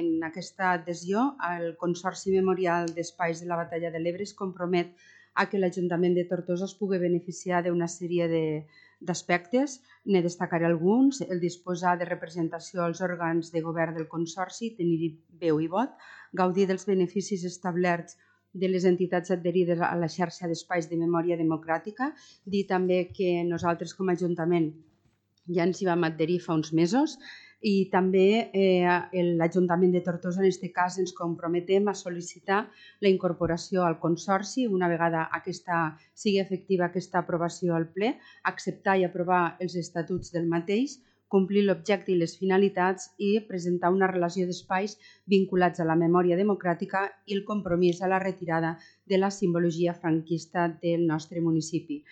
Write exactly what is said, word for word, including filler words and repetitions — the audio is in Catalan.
en aquesta adhesió, el Consorci Memorial d'Espais de la Batalla de l'Ebre es compromet a que l'Ajuntament de Tortosa es pugui beneficiar d'una sèrie d'aspectes. Ne destacaré alguns: el disposar de representació als òrgans de govern del Consorci, tenir veu i vot, gaudir dels beneficis establerts de les entitats adherides a la xarxa d'espais de memòria democràtica. Dir també que nosaltres com a Ajuntament ja ens hi vam adherir fa uns mesos i també eh, l'Ajuntament de Tortosa en aquest cas ens comprometem a sol·licitar la incorporació al Consorci una vegada aquesta sigui efectiva aquesta aprovació al ple, acceptar i aprovar els estatuts del mateix, complir l'objecte i les finalitats i presentar una relació d'espais vinculats a la memòria democràtica i el compromís a la retirada de la simbologia franquista del nostre municipi.